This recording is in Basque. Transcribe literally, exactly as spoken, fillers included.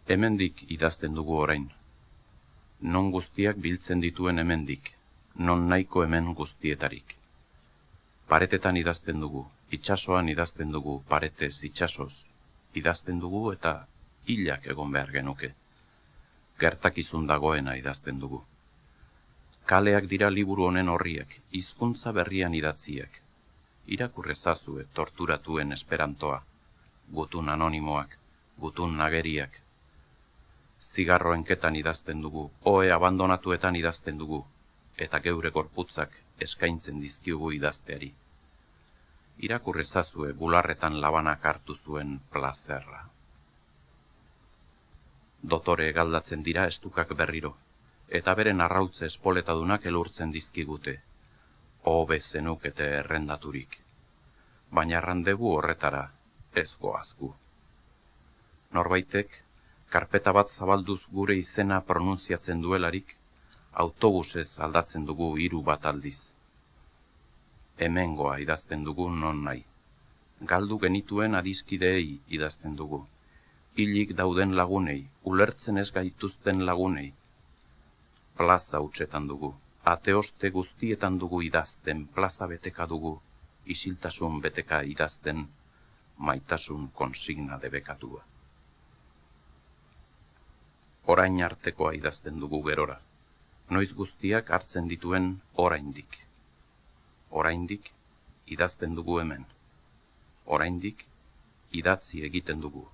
Hemendik idazten dugu orain. Non guztiak biltzen dituen hemendik, non nahiko hemen guztietarik. Paretetan idazten dugu, itsasoan idazten dugu, paretez itsasoz. Idazten dugu eta hilak egon behar genuke. Gertakizun dagoena idazten dugu. Kaleak dira liburu honen horriak, hizkuntza berrian idatziak. Irakurrezazue torturatuen esperantoa, gutun anonimoak, gutun nageriak. Zigarroenketan idazten dugu, ohe abandonatuetan idazten dugu, eta geure gorputzak eskaintzen dizkiugu idazteari. Irakurrezazue bularretan labanak hartu zuen plazerra. Dotore galdatzen dira estukak berriro, eta beren arrautze espoletadunak elurtzen dizkigute, hobe zenukete errendaturik. Baina errandegu horretara ez goazgu. Norbaitek, karpeta bat zabalduz gure izena pronunziatzen duelarik, autobusez aldatzen dugu hiru bat aldiz. Hemengoa idazten dugu non nahi. Galdu genituen adiskideei idazten dugu. Hilik dauden lagunei, ulertzen ez gaituzten lagunei. Plaza hutsetan dugu, ateoste guztietan dugu idazten, plaza beteka dugu, isiltasun beteka idazten, maitasun konsigna debekatua. Orain artekoa idazten dugu gerora, noiz guztiak hartzen dituen oraindik. Oraindik idazten dugu hemen, oraindik idatzi egiten dugu.